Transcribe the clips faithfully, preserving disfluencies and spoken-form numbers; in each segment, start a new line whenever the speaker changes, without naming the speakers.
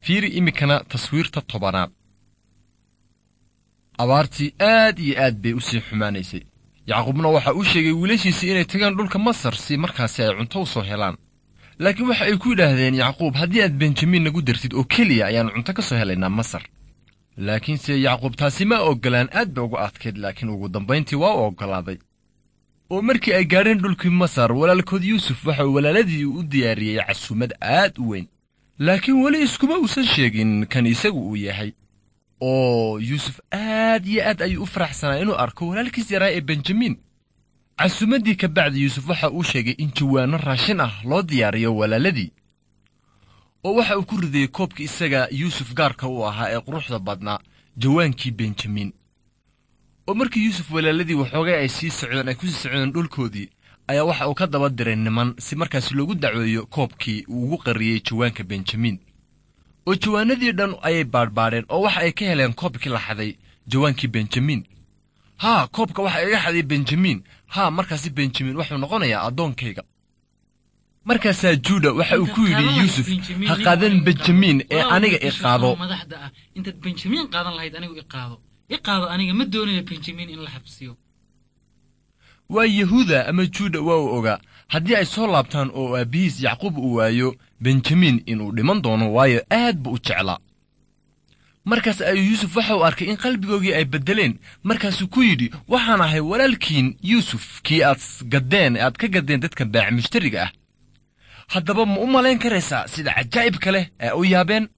Fiiri iminkana taswiirta tobanaad. Abaartii aad iyo aad bay u sii xumaanaysay. Yacquubna waxa uu sheegay wiilashiisii inay tagaan dhulka Masar si markaasi ay cunto u soo helaan. Laakiin waxa ay ku yidhaahdeen Yacquub, haddii aad Benjamin nagu dartid oo keliya ayaannu cunto ka soo helaynaa Masar. Laakiinse Yacquub taasi ma oggolaan, aad ba uga adkayd, laakiin ugu dambayntii waa u oggolaaday. Oo markii ay gaadheen dhulkii Masar, walaalkood Yuusuf waxa uu walaaladii u diyaariyey casuumad aad u weyn. Laakiin weli iskuma uusan sheegin kan isagu uu yahay. Oo Yuusuf aad iyo aad ayuu u faraxsanaa inuu arko walaalkiis yaraa ee Benjamin. Casuumaddii ka bacdi Yuusuf waxa uu sheegay in jawaanno raashin ah loo diyaariyo walaaladii. Oo waxa uu ku ridayey koobkii isaga Yuusuf gaarka u ahaa ee quruxda badnaa, jawaankii Benjamin. Oo markii Yuusuf walaaladii waxoogay ay sii socdeen, ay ku sii socdeen dhulkoodii, ayaa waxa uu ka daba diray niman si markaasi loogu dacweeyo koobkii uu ugu qariyey jawaanka Benjamin. Oo jawaanadii dhan ayay baadhbaadheen oo waxa ay ka heleen koobkii la xaday, jawaankii Benjamin. Haa, koobka waxa iga xaday Benjamin. Haa, markaasi Benjamin wuxuu noqonayaa addoonkayga. Markaasaa Juuda waxa uu ku yidhi Yuusuf, ha qaadan Benjamin ee aniga i qaado.
Madaxda ah, intaad Benjamin qaadan lahayd anigu i qaado, i qaado, aniga ma doonayo Benjamin in la xabsiyo.
Waa Yahuuda ama Juuda waa uu ogaa haddii ay soo laabtaan oo aabbihiis Yacquub uu waayo Benjamin inuu dhiman doono, waayo aad buu u jeclaa. Markaas ayuu Yuusuf waxa uu arkay in qalbigoogii ay beddeleen. Markaasuu ku yidhi, waxaan ahay walaalkiin Yuusuf, kii aad gaddeen, aad ka gaddeen dadka baac mushtariga ah. Haddaba ma u malayn karaysaa sida cajaa'ibka leh ee u yaabeen?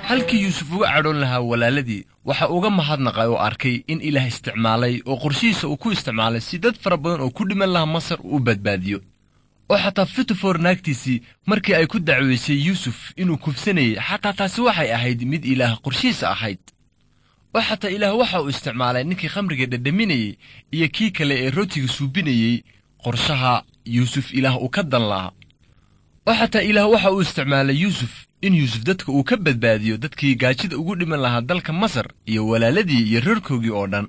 Halkii Yuusuf uga cadhoon lahaa walaaladii, waxa uga mahadnaqay oo arkay in Ilaah isticmaalay oo qorshihiisa uu ku isticmaalay si dad fara badan oo ku dhiman lahaa Masar uu u badbaadiyo. Oo xataa Fitifor naagtiisii markii ay ku dacweysay Yuusuf inuu kufsanayey, xataa taasi waxay ahayd mid Ilaah qorshihiisa ahayd. Oo xataa Ilaah waxa uu isticmaalay ninkii khamriga dhadhaminayey iyo kii kale ee rootiga suubinayey qorshaha Yuusuf Ilaah uu ka dan lahaa. Oo xataa Ilaah waxa uu isticmaalay Yuusuf in Yuusuf dadka uu ka badbaadiyo dadkii gaajida ugu dhiman lahaa dalka Masar iyo walaaladii iyo reerkoogii oo dhan.